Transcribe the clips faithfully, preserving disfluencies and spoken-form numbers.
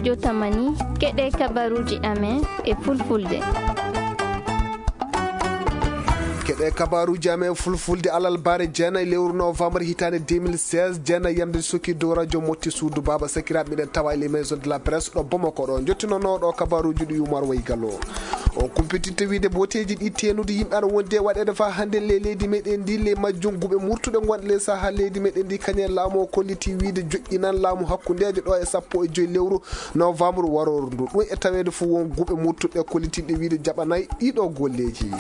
Jotamani, keɗe kabaruuji amen e fulfulde. Keɗe kabaruuji amen fulfulde alarba jeenayi lewru novembre hitaande deux mille seize, jeenayi yamde sukki dow radio motti suudu baaba sakiraaɓe, miɗen tawa e les maisons de la presse ɗo Bamako ɗo. Jottinoono ɗo kabaruuji ɗi Umar Waygalo. O kumpititta wiide boteeji ɗi teenude yimɓe ana wondi e waɗeede faa hannde le leydi meɗen ndi, le majjum guɓe murtuɗe ngonɗe le saha leydi meɗen ndi, kañum e laamu o kolliti wiide joƴƴinan laamu hakkundeejo ɗo e sappo e joy lewru novembre warooru ndu. Ɗum e taweede fof won guɓe murtuɗe kollitinɗe wiide jaɓanay ɗiɗo golleeji.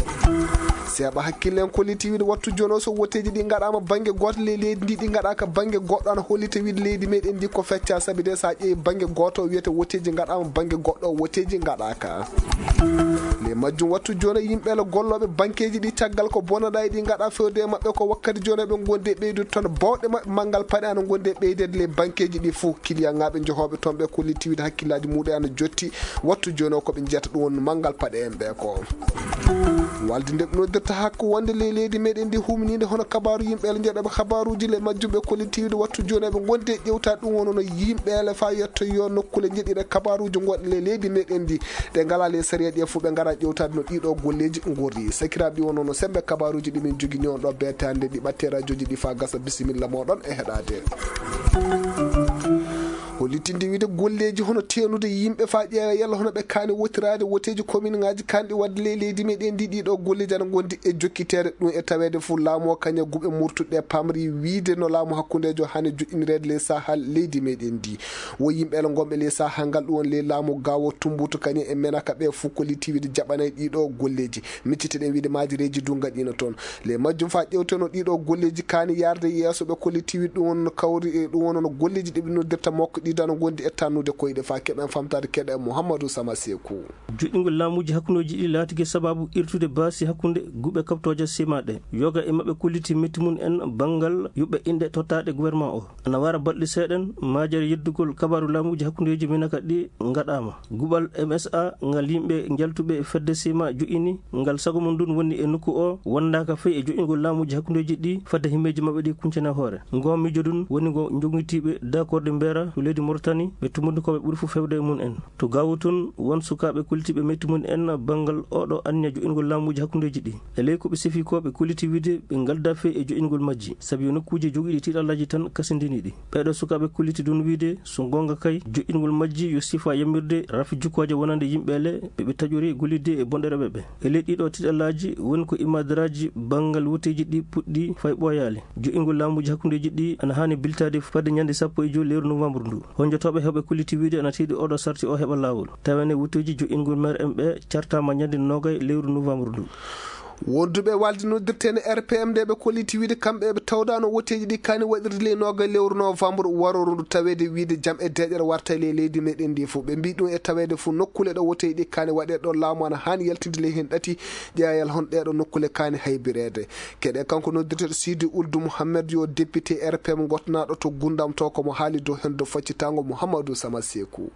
Seeɓa hakkille en kolliti wiide wattu jooni o so woteeji ɗi ngaɗaama bannge gooto le leydi ndi, ɗi ngaɗaaka bannge goɗɗo, ana hollita wiide leydi meɗen ndi ko fecca, sabi de so a ƴeewi bannge gooto o wiyete woteeji ngaɗaama, bannge goɗɗo o woteeji ngaɗaaka. Le majjum wattu jooni yimɓe le gollooɓe bankeeji ɗi caggal ko bonaɗa e ɗi ngaɗa fewde e maɓɓe ko wakkati jooni ɓe ngondi e ɓeydude toon bawɗe maɓɓe manngal paɗe ana ngondi e ɓeydeede le bankeeji ɗi fof. Kiliyaŋaaɓe jehooɓe toon ɓe kolliti wiide hakkillaaji muɗum ana jotti wattu jooni o ko ɓe njiyata ɗum woni manngal paɗe en ɓe ko. Walde nde ɓe noddirta hakko wonde le leydi meɗen ndi humniinde hono kabaaru yimɓe le jeɗoɓe kabaaruuji le majjum ɓe kolliti wiide wattu jooni ɓe ngondi e ƴewtaade ɗum woni no yimɓe le faa yetto yo nokkule jeɗɗiɗe kabaaruuji gonɗe le leydi meɗen ndi. Ɗe ngalaa le sariya ɗi e fof ɓe ngara ƴewtaade no ɗiɗo golleeji ngorri. Sakiraaɓe ɗi wonno no sembe kabaruuji ɗi min jogini on ɗo beetaande ɗi ɓatte radiooji ɗi faa gasa bisimilla mooɗon e heɗaade. Hollitinde wiide golleeji hono teenude yimɓe faa ƴeewa yalla hono ɓe kaani wotiraade woteeji kominŋaaji kaanɗi waɗde ley leydi meɗen ndi ɗiɗo golleeji ana ngondi e jokkiteede ɗum e taweede fof laamu o kañe guɓe murtuɗe pamri wiide no laamu hakkundeejo haani joƴƴinireede ley saha leydi meɗen ndi. Wo yimɓe ele ngonɓe ley saha ngal ɗum woni ley laamu gawo tumbutu kañe e menaka ɓe fof kolliti wiide jaɓanay ɗiɗo golleeji. Micciteɗen wiide maajireeji du ngaɗiino toon. Ley majjum faa ƴewteno ɗiɗo golleeji kaani yarde yeeso ɓe kolliti wiide ɗum woni no kawri e ɗum woni no golleeji ɗi ɓe noddirta mokko ɗi dano ngondi e tannude koyɗe faa keɓen famtaade keɗe Muhammadu Sama Seeku. Joɗɗingol laamuuji hakkundeeji ɗi laatike sabaabu irtude baasi hakkunde guɓe kaɓtooje sima ɗe. Yoga e maɓɓe kolliti metti mum en banngal yuɓɓe inɗe tottaaɗe gouvernement o. Ana wara balɗe seeɗen, maajere yeddugol kabaaru laamuuji hakkundeeji minaka ɗi ngaɗaama. Guɓal M S A ngal yimɓe njaltuɓe fedde sima joƴƴini, ngal sago mum ndun woni e nokku o, wondaaka fey e joƴƴingol laamuuji hakkundeeji ɗi fadde himmeeji maɓɓe ɗi kuncana hoore. Ngo miijo ndun woni ngo jogitiiɓe dakorde mbeera to leydi Mauritanie, ɓe tumbundi ko ɓe ɓuri fof fewde e mum en. To Gaawo tun, won sukaaɓe kollitiiɓe metti mum en banngal oɗo anniya joƴƴingol laamuuji hakkundeeji ɗi. E ley ko ɓe sifi ko, ɓe kolliti wiide ɓe ngaldaa fey e joƴƴingol majji, sabi yo nokkuuji jogiiɗi tiiɗallaaji tan kasindini ɗi. Ɓeeɗo sukaaɓe kolliti ɗun wiide, so goonga kay, joƴƴingol majji yo sifa yamirde rafi jukkooje wonande yimɓe le ɓe ɓe taƴori gollidde e bonɗereeɓe ɓe. E ley ɗiɗo tiiɗallaaji woni ko imaadaraaji banngal woteeji ɗi puɗɗi fay ɓooyaali. Joƴƴingol laamuuji hakkundeeji ɗi ana haani biltaade fadde ñande sappo e joy lewru novembre ndu. Honjotooɓe heɓe kolliti wiide ana tiiɗi oɗo sarti o heɓa laawol. Tawa ne woteeji joƴƴingol maire en ɓe cartaama ñande nogay lewru novembre ndu. Wonduɓe walde noddirteene R P M nde ɓe kolliti wiide kamɓe ɓe tawdaano woteeji ɗi kaani waɗirde ley nogay lewru novembre warooru ndu taweede wiide jam e deeƴere warta e ley leydi meɗen ndi fof. Ɓe mbii ɗum e taweede fof nokkule ɗo woteeji ɗi kaani waɗe ɗo laamu ana haani yaltinde ley heen ɗati ƴeewal hon ɗeeɗo nokkule kaani haybireede. Keɗe kanko noddirteeɗo Sidi Uldu Muhammed yo député R P M gotnaaɗo to Gundam to ko mo haali dow heen dow faccitaango Muhammadu Sama Seeku.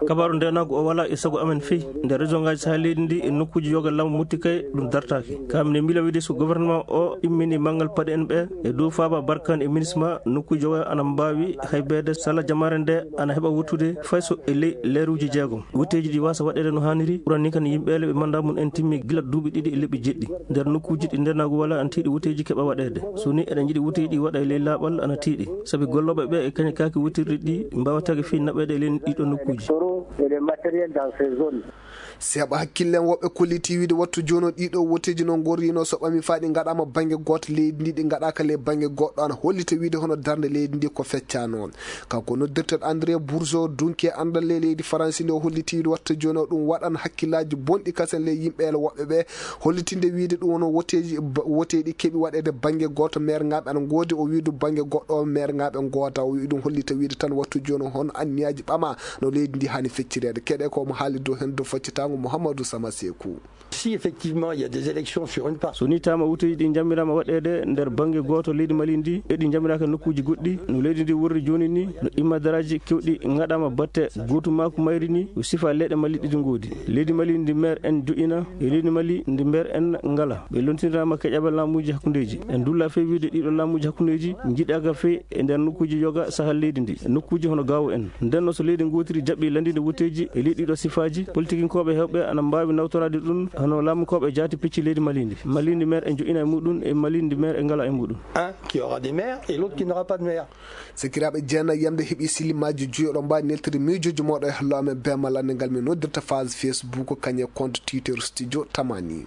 Kabaaru ndeenaagu o walaa e sago amen fey. Nder région ngaaji saha leydi ndi e nokkuuji yoga laamu motti kay ɗum dartaaki. Ka mine miila wiide so gouvernement o immini manngal paɗe en ɓe e dow faaba barkan e minisma nokkuuji yoga ana mbaawi haybeede sala jamaare nde ana heɓa wuttude fay so e ley leeruuji jeegom. Wutteeji ɗi waasa waɗeede no haaniri ɓurani kan yimɓe le ɓe manndaa mum en timmi gila duuɓi ɗiɗi e leɓɓi jeɗɗi. Nder nokkuuji ɗi ndeenaagu walaa ana tiiɗi wutteeji keɓa waɗeede. So ni eɗen njiɗi wutteeji ɗi waɗa e ley laaɓal ana tiiɗi. Sabi gollooɓe ɓe e kañe kaaki wuttirɗi ɗi mbaawataake fii naɓeede e ley ɗiɗo nokkuuji. Seeɓa hakkillen woɓɓe kolliti wiide wattu jooni o ɗiɗo woteeji no ngorrino so ɓami faa ɗi ngaɗaama bannge gooto leydi ndi, ɗi ngaɗaaka le bannge goɗɗo ana hollita wiide hono darnde leydi ndi ko feccaano. Kanko noddirteeɗo André Bourgeot, dunki e anndal le leydi Faransi nde o holliti wiide wattu jooni o ɗum waɗan hakkillaaji bonɗi kasen le yimɓe ele woɓɓe ɓe hollitinde wiide ɗum woni woteeji, ba-, woteeji keɓi waɗeede bannge gooto, meerŋaaɓe ana ngoodi, o wii ɗum bannge goɗɗo, meerŋaaɓe ngooda. O wii ɗum hollita wiide tan wattu jooni o hono anniyaaji ɓama no leydi ndi haani feccireede. Keɗe ko mo haali dow heen dow Citango Mouhamadou Sama Sekou. Si effectivement il y a des élections sur une partie. So ni tama wuteji ɗi jammirama waɗede nder bangge goto leydi Mali ndi, e ɗi jammiraaka nokkuji goɗɗi, no leydi ndi worri joni ni, no imma daraji kewɗi ngaɗama batte gotumaku mayri ni, o sifa leɗɗe Mali ɗiɗi ngodi. Leydi Mali ndi mer en jo'ina, e leydi Mali ndi mer en ngala. Ɓe lontinirama keƴaɓe lamuji hakkundeji. En dulla fe wiide ɗiɗo lamuji hakkundeji jiɗaka fe e nder nokkuji yoga sahal leydi ndi. Nokkuji hono gawo en. Nden no so leydi gotiri jaɓɓi landinde wuteji e leydi ɗiɗo sifaji, politikinkoɓe hewɓe ana mbawi nawtorade ɗum hono lamukoɓe jaati pecci leydi Mali ndi. Mali ndi mer en jo'ina e muɗum e Mali ndi mer en ngala e muɗum. Un qui aura des maires et l'autre qui n'aura pas de maire. Sakiraaɓe jeenayi yamde heɓi silimaji juyo ɗo mbawi neltude miijoji moɗo e hallo amen bema lande ngal min noddirta phase Facebook kañe compte Twitter Studio Tamani.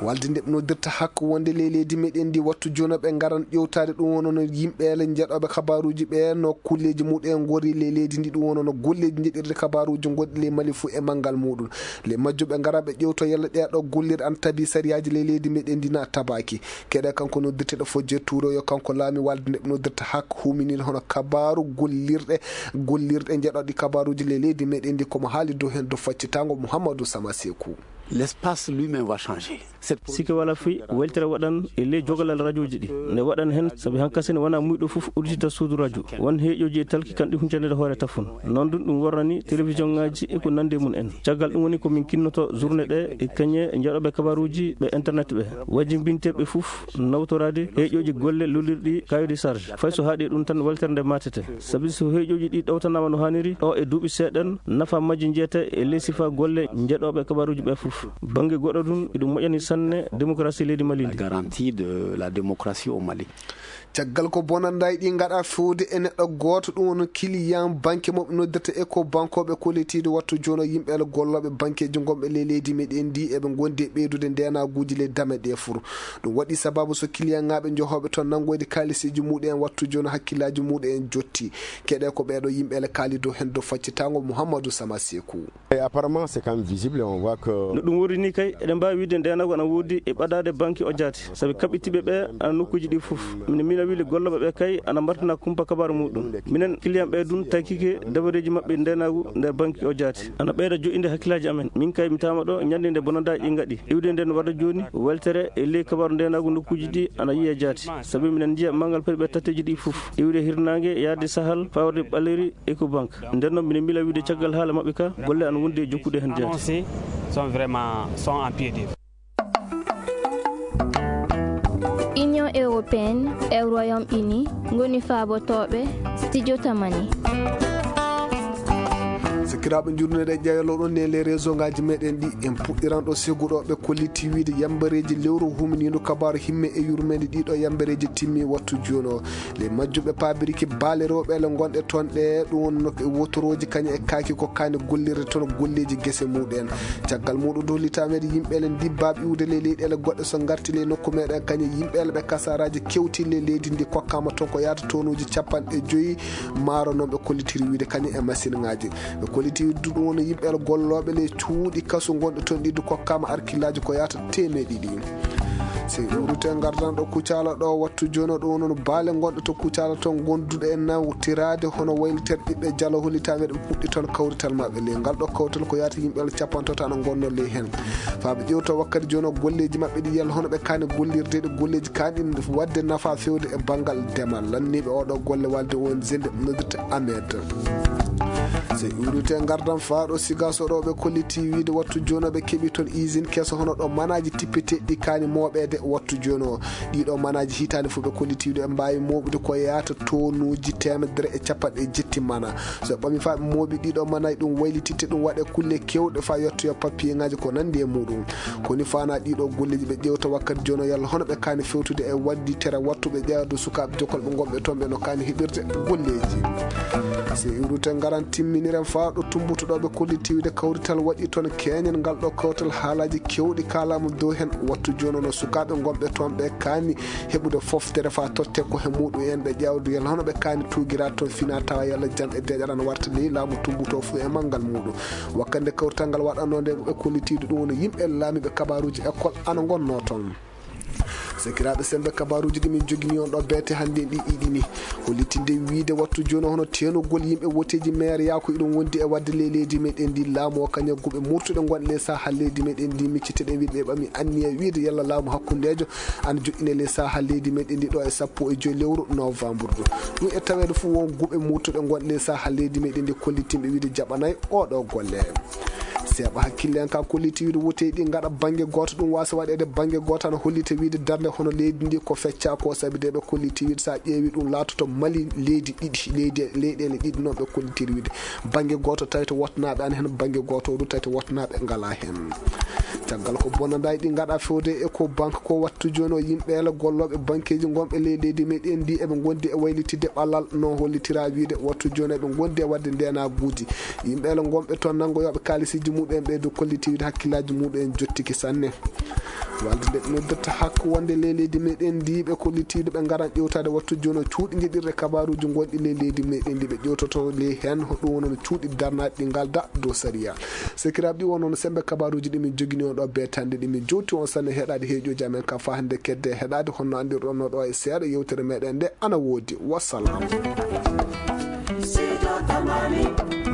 Walde nde ɓe noddirta hakko wonde ley leydi meɗen ndi wattu jono ɓe ngaran ƴewtade ɗum wono no yimɓe ele jeɗoɓe kabaruji ɓe no kulleji muɗum en gori ley leydi ndi ɗum wono no golleji jeɗirde kabaruji goɗɗi ley Mali fuu e manngal muɗum. Ley majjum ɓe ngara ɓe ƴewto yalla ɗeɗo gollirɗe an tabi sariyaji ley leydi meɗen ndi na tabaki. Keɗe kanko noddirteɗo Fodje Touro yo kanko laami walde nde ɓe noddirta hak huminir hono kabaru gollirɗe gollirɗe jeɗoɗi kabaruji ley leydi meɗen ndi komo haali dow hen dow faccitango Mouhamadou Sama Sekou. L'espace lui-même va changer. Sikke wala fii weltere waɗan e ley jogalal radioji ɗi nde waɗan hen sabi hankasini wona muyɗo fof uddita suudu radio won heeƴoji e talki kan ɗi huncande hoore tafon. Noon ɗum ɗum worrani télévision ngaji e ko nandi e mum en. Caggal ɗum woni ko min kinnoto journée ɗe e kañe jaɗoɓe kabaruji ɓe internet ɓe wajibinteɓe fof nawtorade heeƴoji golle lolirɗi kayodi charge fay so haaɗi ɗum tan weltere nde matete. Sabi so heeƴoji ɗi ɗowtanama no haniri ɗo e duuɓi seeɗen nafa majji jeeta e ley sifa golle jeɗoɓe kabaruji ɓe fof. Bangge goɗɗo ɗum eɗum moƴƴani sanne démocratie leydi Mali ndi. Garantie de la démocratie au Mali. Caggal ko bonannda e ɗi ngaɗa fewde e neɗɗo gooto ɗum woni client banque mo ɓe noddirta Eco bankoɓe kollitiiɗo wattu jono yimɓe ala gollooɓe banqueji gonɓe ley leydi meɗen ndi eɓe gondi e ɓeydude ndenaguji ley dame ɗe fur. Ɗum waɗi sababu so client ngaɓe johoɓe toon nanngoyde kaalisiiji muɗum en wattu jono hakkillaji muɗum en jotti. Keɗe ko ɓeɗo yimɓe ala kaali dow hen dow faccitango Mouhamadou Sama Sekou. Et apparemment, c'est quand même visible, on voit que no ɗum wori ni kay eɗen mbawi wiide ndenagu ana woodi e ɓadade banque o jaati sabi kaɓɓitiɓe ɓe ana nokkuji ɗi fof. Mine mina wili golloɓe ɓe kay ana mbartina kumpa kabaru muɗum. Minen client ɓe ɗum taykike dabareji maɓɓe ndenagu nder banque o jaati ana ɓeyda joƴƴinde hakkillaji amen. Min kay mi tama ɗo ñande nde bonandaji ɗi gaɗi iwde nden warda joni weltere e ley kabaru ndenagu nokkuji ɗi ana yiya jaati sabi minen jiya mangal pari ɓe tatteji ɗi fof iwde hirnangue yaade sahal fawde ɓaleri Ecobank. Nden noon minen mbila wiide caggal haala maɓɓe ka golle ana wondi e jokkude heen jaati. Annoncés sont vraiment sont en pied d'œuvre. Union européenne e Royaume Uni ngoni faabotooɓe studio Tamani. Sakiraaɓe jurneɗe jayaloɗon ne les réseau ngaji meɗen ɗi en puɗɗiran ɗo seguɗo ɓe kolliti wiide yambareji lewru huminiɗo kabaru himme e yurmede ɗiɗo yambareji timmi wattu jono. Les majjuɓe paabiriki baale rewɓe ele gonɗe toon ɗe ɗum wonno e wotorooji kañum e kaaki ko kaani gollirde toon golleeji gese muɗen. Caggal muɗum dow litameede yimɓe ele ndibbaɓe iwde ley leyɗeele goɗɗe so ngarti ley nokku meɗen kañum yimɓe ele ɓe kasaraji kewti ley leydi ndi kokkama toon ko yaata tonuji capanɗe joyi maaro noon ɓe kollitiri wiide kañum e machine ngaji. Ɓe kolliti ɗum woni yimɓe ele gollooɓe ley cuuɗi kasu gonɗe toon ɗiɗi kokkama arkillaji ko yaata temeɗe ɗiɗi. Sey urute ngardan ɗo Kucala ɗo wattu jono ɗo noon baale gonɗe to Kucala toon gonduɗe e nawtirade hono wayliter ɓiɓɓe jalo holitaɓe ɗum puɗɗi toon kawrital maɓɓe ley ngal ɗo kawtal ko yaata yimɓe ala capantato ana gonno ley hen. Faaɓe ƴewto wakkati jono golleji maɓɓe ɗi yalla hono ɓe kani gollirde ɗe golleji kani wadde nafa fewde e banngal demal lanniɓe oɗo golle walde on zende noddirta Amed. Sey urite ngardan faaɗo siga so ɗo ɓe kolliti wiide wattu jono ɓe keɓi toon usine keso hono ɗo manaji tippeteɗi kani moɓede wattu jono. Ɗiɗo manaji hitande fof ɓe kolliti wiide ɓe mbawi moɓude ko yata tonuji temedere e capanɗe jetti mana. So ɓe ɓami fa ɓe moɓi ɗiɗo manaji ɗum waylititte ɗum waɗe kulle kewɗe fa yettoya papier ngaji ko nandi e muɗum. Koni fana ɗiɗo golleji ɓe ƴewta wakkati jono yalla hono ɓe kani fewtude e waddi tere wattuɓe ƴeewde sukaɓe jokkolɓe gonɓe toon ɓe no kani heɓirde golleji. Sey urute ngaran timminiren fa ɗo tumbutuɗo ɓe kolliti wiide kawrital waɗi toon keñen ngal ɗo kawtal haalaji kewɗi kalama dow hen wattu jono no sukaɓe gonɓe toon ɓe kani heɓude foftere fa totte ko he muɗum en ɓe ƴeewde yalla hono ɓe kani tugira toon fina tawa yalla jam e deƴal ana warta ley laamu tumbuto fu e manngal muɗum. Wakkande kawrital ngal waɗanno nde ɓe kollitiiɗo ɗum woni yimɓe laamiiɓe kabaruuji école ana ngonnoo toon. Sakiraaɓe, sembe kabaruuji ɗi min jogini on ɗo beete hannde ɗi iɗini hollitinde wiide wattu jooni hono teenugol yimɓe woteeji meere yaako iɗon wondi e waɗde ley leydi meɗen ndi. Laamu o kañum guɓe murtuɗe ngonɗe ley saha leydi meɗen ndi micciteɗen wiide ɓe ɓami anniya wiide yalla laamu hakkundeejo ana joɗɗine ley saha leydi meɗen ndi ɗo e sappo e joyi lewru novembre ɗo. Ɗum e taweede fof won guɓe murtuɗe ngonɗe ley saha leydi meɗen ndi kollitinɓe wiide jaɓanay oɗo golle. Seeɓa hakkille en ka kolliti wiide woteeji ɗi ngaɗa bannge gooto, ɗum waasa waɗeede bannge gooto ana hollita wiide darnde hono leydi ndi ko fecca ko sabi de ɓe kolliti wiide so a ƴeewi ɗum laatoto Mali leydi ɗiɗi, leydi leyɗeele ɗiɗi noon ɓe kollitiri wiide bannge gooto tawi to wotnaaɓe ana heen bannge gooto du tawi to wotnaaɓe ngala heen. Caggal ko bonandaji ɗi ngaɗa fewde e ko banque ko wattu jooni o yimɓe ele gollooɓe banqueji gonɓe ley leydi meɗen ndi eɓe gondi e waylitidde ɓalal no hollitira wiide wattu jooni eɓe gondi e waɗde ndenaguuji yimɓe ele gonɓe toon nanngoyooɓe kaalisiji muɗum ɓe du kolliti wiide hakkillaji muɗum jottiki sanne. Walde nde ɓe noddata hakko wonde ley leydi meɗen ndi ɓe kollitiiɗo ɓe ngaran ƴewtaade wattu jooni o cuuɗi njiɗirɗe kabaruuji gonɗi ley leydi meɗen ndi ɓe ƴewtoto ley heen ɗum woni no cuuɗi darnaaɗi ɗi ngalda dow sariya. Sekiraaɓe ɗi wonno no sembe kabaruuji ɗi min jogini on ɗo beetande ɗi min jowti on sanne heɗaade heeƴooji amen ka faa hannde kedde heɗaade honno anndirɗon no ɗo e seeɗa yewtere meɗen nde ana woodi. Wassalam. Sido Tamani.